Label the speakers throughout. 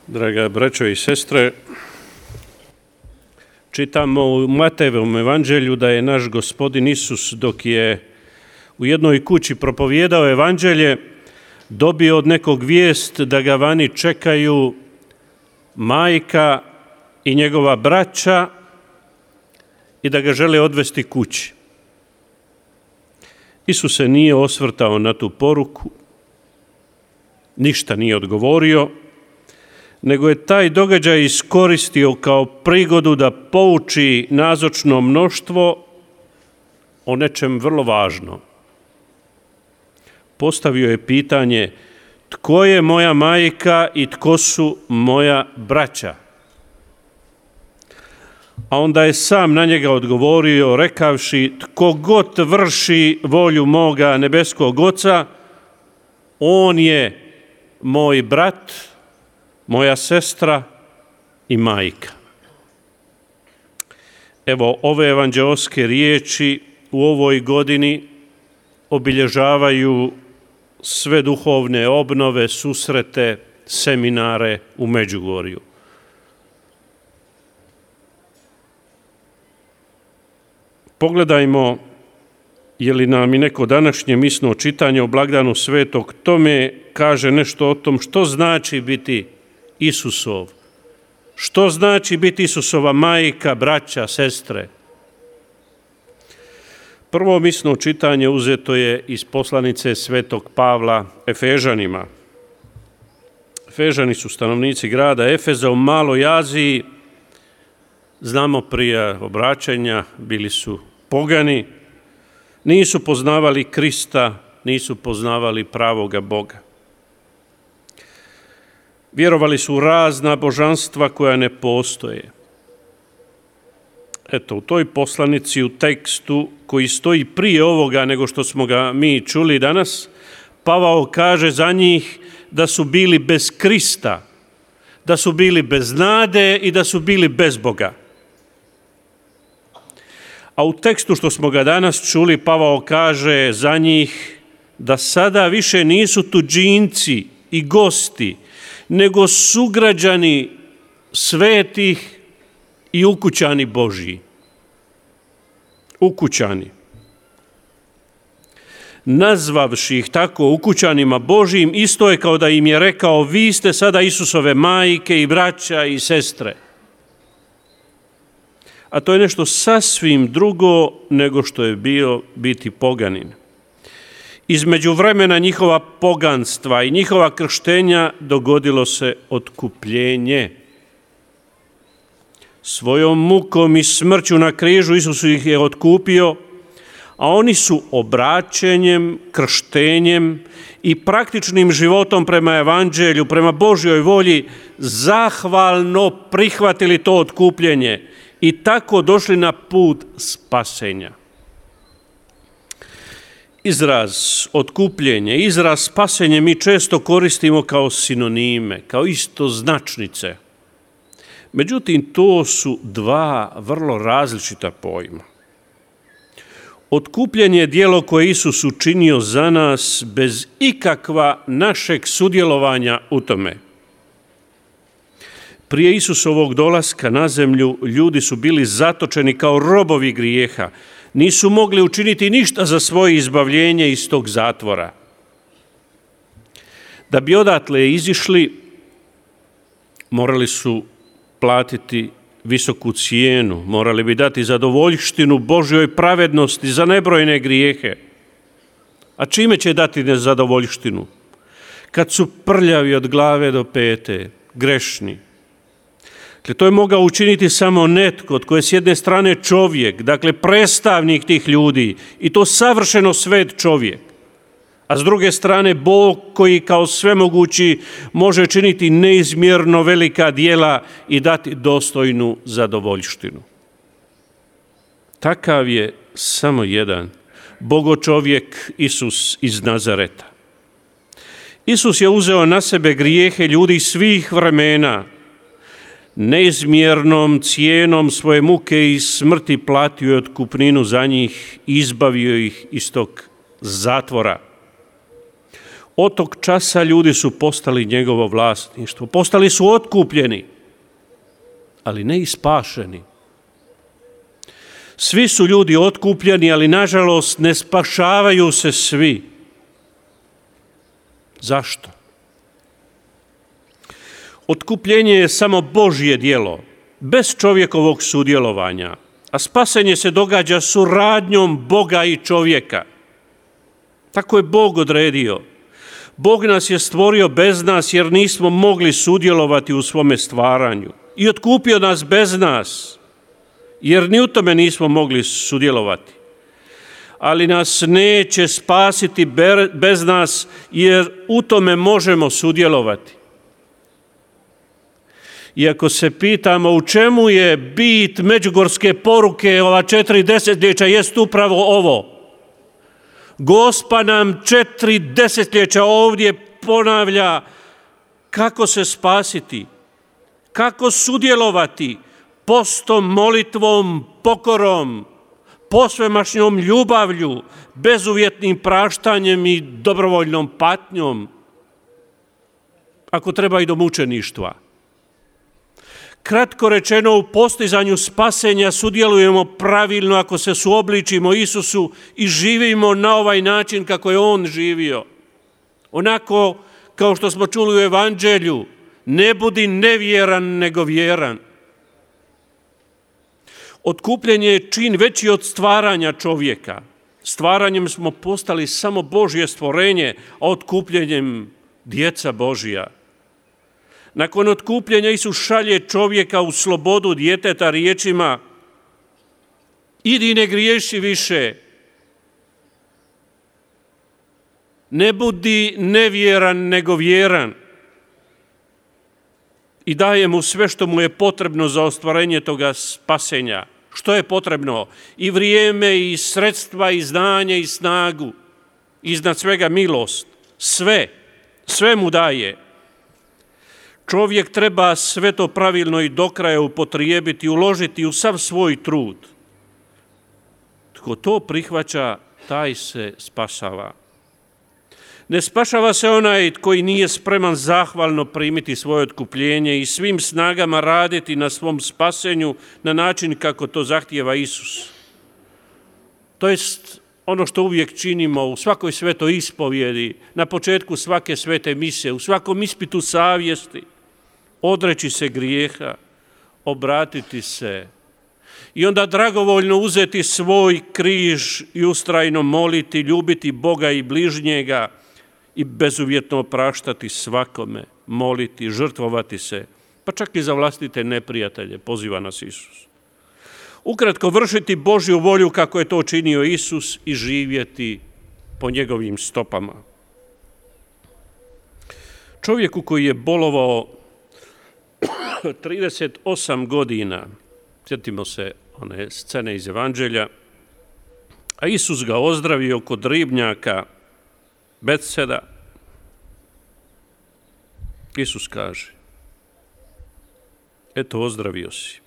Speaker 1: Draga braćo i sestre, čitamo u Matejevom evanđelju da je naš Gospodin Isus, dok je u jednoj kući propovijedao evanđelje, dobio od nekog vijest da ga vani čekaju majka i njegova braća i da ga žele odvesti kući. Isus se nije osvrtao na tu poruku, ništa nije odgovorio, nego je taj događaj iskoristio kao prigodu da pouči nazočno mnoštvo o nečem vrlo važnom. Postavio je pitanje: tko je moja majka i tko su moja braća? A onda je sam na njega odgovorio rekavši: tko god vrši volju moga nebeskog Oca, on je moj brat, moja sestra i majka. Evo, ove evanđeoske riječi u ovoj godini obilježavaju sve duhovne obnove, susrete, seminare u Međugorju. Pogledajmo je li nam i neko današnje misno čitanje o blagdanu Svetog Tome kaže nešto o tom što znači biti Isusov. Što znači biti Isusova majka, braća, sestre? Prvo misno čitanje uzeto je iz poslanice Svetog Pavla Efežanima. Efežani su stanovnici grada Efeza u Maloj Aziji. Znamo prije obraćanja, bili su pogani, nisu poznavali Krista, nisu poznavali pravoga Boga. Vjerovali su u razna božanstva koja ne postoje. Eto, u toj poslanici, u tekstu koji stoji prije ovoga nego što smo ga mi čuli danas, Pavao kaže za njih da su bili bez Krista, da su bili bez nade i da su bili bez Boga. A u tekstu što smo ga danas čuli, Pavao kaže za njih da sada više nisu tuđinci i gosti, nego sugrađani svetih i ukućani Božji. Ukućani. Nazvavši ih tako ukućanima Božjim, isto je kao da im je rekao: vi ste sada Isusove majke i braća i sestre. A to je nešto sasvim drugo nego što je bio biti poganin. Između vremena njihova poganstva i njihova krštenja dogodilo se otkupljenje. Svojom mukom i smrću na križu Isus ih je otkupio, a oni su obraćenjem, krštenjem i praktičnim životom prema evanđelju, prema Božjoj volji zahvalno prihvatili to otkupljenje i tako došli na put spasenja. Izraz otkupljenje, izraz spasenje mi često koristimo kao sinonime, kao istoznačnice. Međutim, to su dva vrlo različita pojma. Otkupljenje je djelo koje Isus učinio za nas bez ikakva našeg sudjelovanja u tome. Prije Isusovog dolaska na zemlju ljudi su bili zatočeni kao robovi grijeha. Nisu mogli učiniti ništa za svoje izbavljenje iz tog zatvora. Da bi odatle izišli, morali su platiti visoku cijenu, morali bi dati zadovoljštinu Božjoj pravednosti za nebrojene grijehe. A čime će dati nezadovoljštinu? Kad su prljavi od glave do pete, grešni. Dakle, to je mogao učiniti samo netko tko je s jedne strane čovjek, dakle predstavnik tih ljudi i to savršeno svet čovjek, a s druge strane Bog koji kao svemogući može činiti neizmjerno velika djela i dati dostojnu zadovoljštinu. Takav je samo jedan, bogočovjek Isus iz Nazareta. Isus je uzeo na sebe grijehe ljudi svih vremena, neizmjernom cijenom svoje muke i smrti platio je otkupninu za njih, izbavio ih iz tog zatvora. Od tog časa ljudi su postali njegovo vlasništvo, postali su otkupljeni, ali ne i spašeni. Svi su ljudi otkupljeni, ali nažalost ne spašavaju se svi. Zašto? Otkupljenje je samo Božje djelo, bez čovjekovog sudjelovanja, a spasenje se događa suradnjom Boga i čovjeka. Tako je Bog odredio. Bog nas je stvorio bez nas jer nismo mogli sudjelovati u svome stvaranju i otkupio nas bez nas jer ni u tome nismo mogli sudjelovati. Ali nas neće spasiti bez nas jer u tome možemo sudjelovati. Iako se pitamo u čemu je bit međugorske poruke ova 4 desetljeća, jest upravo ovo. Gospa nam 4 desetljeća ovdje ponavlja kako se spasiti, kako sudjelovati postom, molitvom, pokorom, posvemašnjom ljubavlju, bezuvjetnim praštanjem i dobrovoljnom patnjom, ako treba i do mučeništva. Kratko rečeno, u postizanju spasenja sudjelujemo pravilno ako se suobličimo Isusu i živimo na ovaj način kako je On živio. Onako kao što smo čuli u Evanđelju, ne budi nevjeran nego vjeran. Otkupljenje je čin veći od stvaranja čovjeka. Stvaranjem smo postali samo Božje stvorenje, a otkupljenjem djeca Božja. Nakon otkupljenja Isus šalje čovjeka u slobodu djeteta riječima: idi ne griješi više, ne budi nevjeran nego vjeran. I daje mu sve što mu je potrebno za ostvarenje toga spasenja. Što je potrebno? I vrijeme, i sredstva, i znanje, i snagu. Iznad svega milost. Sve mu daje. Čovjek treba sve to pravilno i do kraja upotrijebiti, uložiti u sav svoj trud. Tko to prihvaća, taj se spašava. Ne spašava se onaj koji nije spreman zahvalno primiti svoje otkupljenje i svim snagama raditi na svom spasenju na način kako to zahtijeva Isus. To jest ono što uvijek činimo u svakoj svetoj ispovjedi, na početku svake svete mise, u svakom ispitu savjesti, odreći se grijeha, obratiti se i onda dragovoljno uzeti svoj križ i ustrajno moliti, ljubiti Boga i bližnjega i bezuvjetno opraštati svakome, moliti, žrtvovati se, pa čak i za vlastite neprijatelje, poziva nas Isus. Ukratko, vršiti Božju volju kako je to činio Isus i živjeti po njegovim stopama. Čovjeku koji je bolovao 38 godina, sjetimo se one scene iz Evanđelja, a Isus ga ozdravio kod ribnjaka Betseda. Isus kaže: eto, ozdravio si.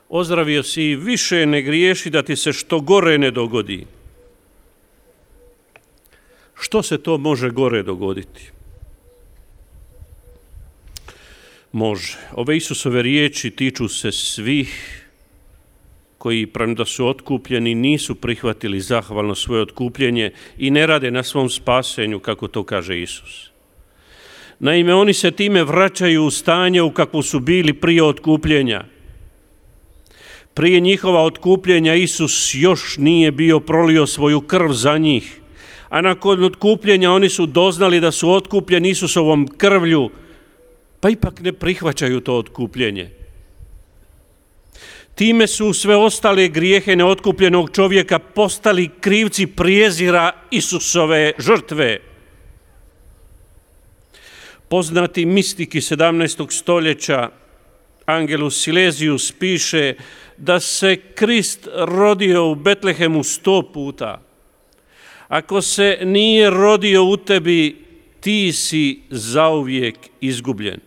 Speaker 1: Ozdravio si i više ne griješi da ti se što gore ne dogodi. Što se to može gore dogoditi? Može. Ove Isusove riječi tiču se svih koji, premda su otkupljeni, nisu prihvatili zahvalno svoje otkupljenje i ne rade na svom spasenju, kako to kaže Isus. Naime, oni se time vraćaju u stanje u kakvu su bili prije otkupljenja. Prije njihova otkupljenja Isus još nije bio prolio svoju krv za njih, a nakon otkupljenja oni su doznali da su otkupljeni Isusovom krvlju, pa ipak ne prihvaćaju to otkupljenje. Time su sve ostale grijehe neotkupljenog čovjeka postali krivci prijezira Isusove žrtve. Poznati mistik iz 17. stoljeća Angelus Silesius piše da se Krist rodio u Betlehemu 100 puta. Ako se nije rodio u tebi, ti si zauvijek izgubljen.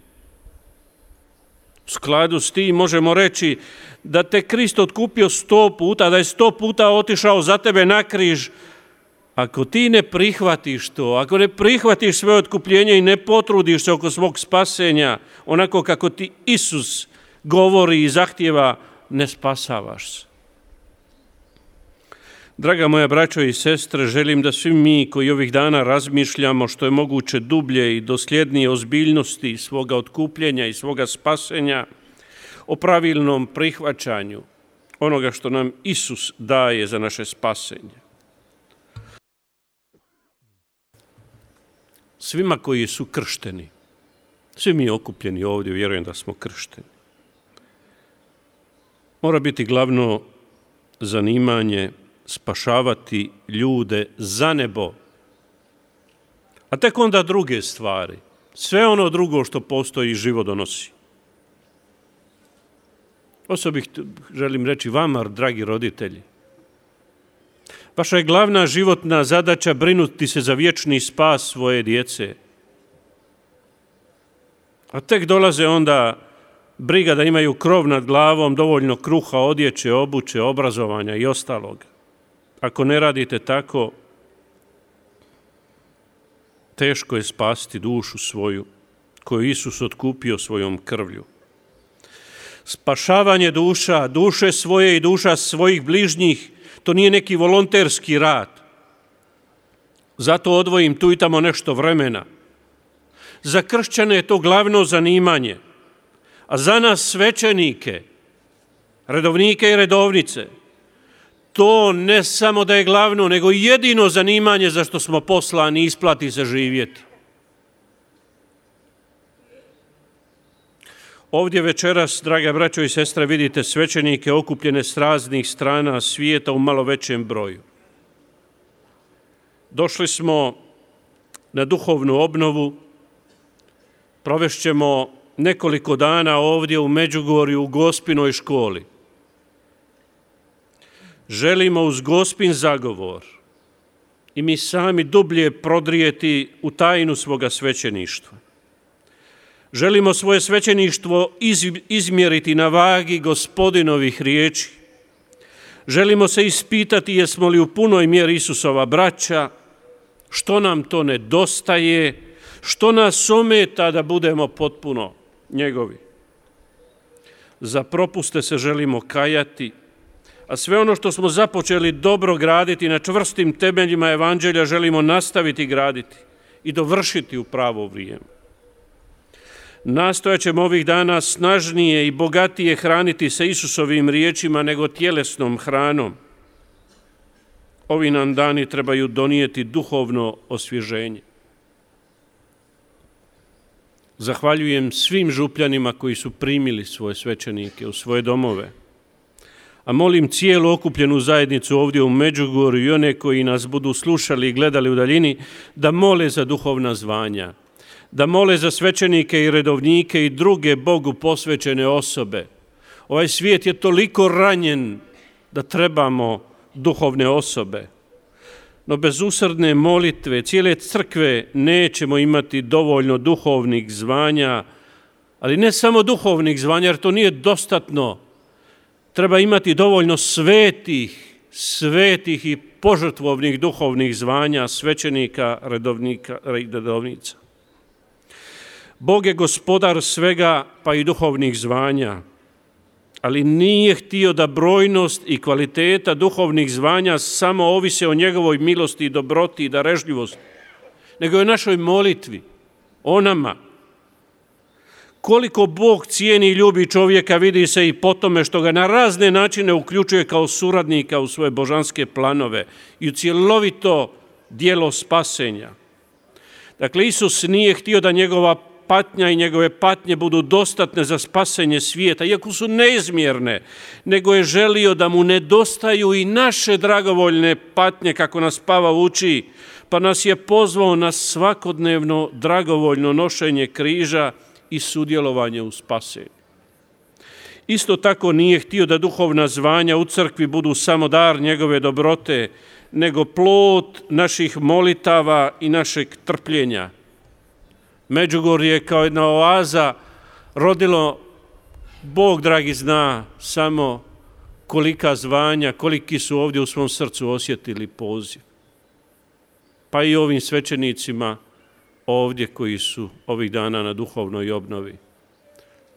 Speaker 1: U skladu s tim možemo reći da te Krist otkupio 100 puta, da je 100 puta otišao za tebe na križ, Ako ti ne prihvatiš to, ako ne prihvatiš svoje otkupljenje i ne potrudiš se oko svog spasenja, onako kako ti Isus govori i zahtjeva, ne spasavaš se. Draga moja braćo i sestre, želim da svi mi koji ovih dana razmišljamo što je moguće dublje i dosljednije ozbiljnosti svoga otkupljenja i svoga spasenja, o pravilnom prihvaćanju onoga što nam Isus daje za naše spasenje. Svima koji su kršteni, svi mi okupljeni ovdje, vjerujem da smo kršteni, mora biti glavno zanimanje spašavati ljude za nebo, a tek onda druge stvari, sve ono drugo što postoji i život donosi. Osobito želim reći vama, dragi roditelji, vaša je glavna životna zadaća brinuti se za vječni spas svoje djece. A tek dolaze onda briga da imaju krov nad glavom, dovoljno kruha, odjeće, obuće, obrazovanja i ostalog. Ako ne radite tako, teško je spasiti dušu svoju, koju Isus otkupio svojom krvlju. Spašavanje duša, duše svoje i duša svojih bližnjih, to nije neki volonterski rad. Zato odvojim tu i tamo nešto vremena. Za kršćane je to glavno zanimanje, a za nas svećenike, redovnike i redovnice, to ne samo da je glavno, nego jedino zanimanje za što smo poslani, isplati se živjeti. Ovdje večeras, draga braćo i sestre, vidite svećenike okupljene s raznih strana svijeta u malo većem broju. Došli smo na duhovnu obnovu, provešćemo nekoliko dana ovdje u Međugorju u Gospinoj školi. Želimo uz Gospin zagovor i mi sami dublje prodrijeti u tajnu svoga svećeništva. Želimo svoje svećeništvo izmjeriti na vagi Gospodinovih riječi. Želimo se ispitati jesmo li u punoj mjeri Isusova braća, što nam to nedostaje, što nas ometa da budemo potpuno njegovi. Za propuste se želimo kajati, a sve ono što smo započeli dobro graditi na čvrstim temeljima evanđelja želimo nastaviti graditi i dovršiti u pravo vrijeme. Nastojat ćemo ovih dana snažnije i bogatije hraniti se Isusovim riječima nego tjelesnom hranom. Ovi nam dani trebaju donijeti duhovno osvježenje. Zahvaljujem svim župljanima koji su primili svoje svećenike u svoje domove, a molim cijelu okupljenu zajednicu ovdje u Međugorju i one koji nas budu slušali i gledali u daljini da mole za duhovna zvanja, da mole za svećenike i redovnike i druge Bogu posvećene osobe. Ovaj svijet je toliko ranjen da trebamo duhovne osobe. No bez usrdne molitve cijele crkve nećemo imati dovoljno duhovnih zvanja, ali ne samo duhovnih zvanja, jer to nije dostatno. Treba imati dovoljno svetih i požrtvovnih duhovnih zvanja svećenika, redovnika i redovnica. Bog je gospodar svega, pa i duhovnih zvanja, ali nije htio da brojnost i kvaliteta duhovnih zvanja samo ovise o njegovoj milosti i dobroti i darežljivosti, nego i o našoj molitvi, o nama. Koliko Bog cijeni i ljubi čovjeka vidi se i po tome što ga na razne načine uključuje kao suradnika u svoje božanske planove i u cjelovito djelo spasenja. Dakle, Isus nije htio da njegova patnja i njegove patnje budu dostatne za spasenje svijeta, iako su neizmjerne, nego je želio da mu nedostaju i naše dragovoljne patnje, kako nas Pavao uči, pa nas je pozvao na svakodnevno dragovoljno nošenje križa i sudjelovanje u spasenju. Isto tako nije htio da duhovna zvanja u crkvi budu samo dar njegove dobrote, nego plod naših molitava i našeg trpljenja. Međugorje je kao jedna oaza rodilo, Bog dragi zna samo kolika zvanja, koliki su ovdje u svom srcu osjetili poziv. pa i ovim svećenicima ovdje koji su ovih dana na duhovnoj obnovi.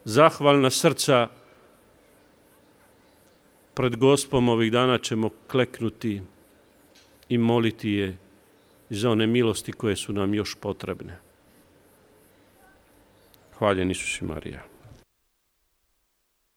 Speaker 1: Zahvalna srca pred Gospom ovih dana ćemo kleknuti i moliti je za one milosti koje su nam još potrebne. Hvaljen Isus i Marija.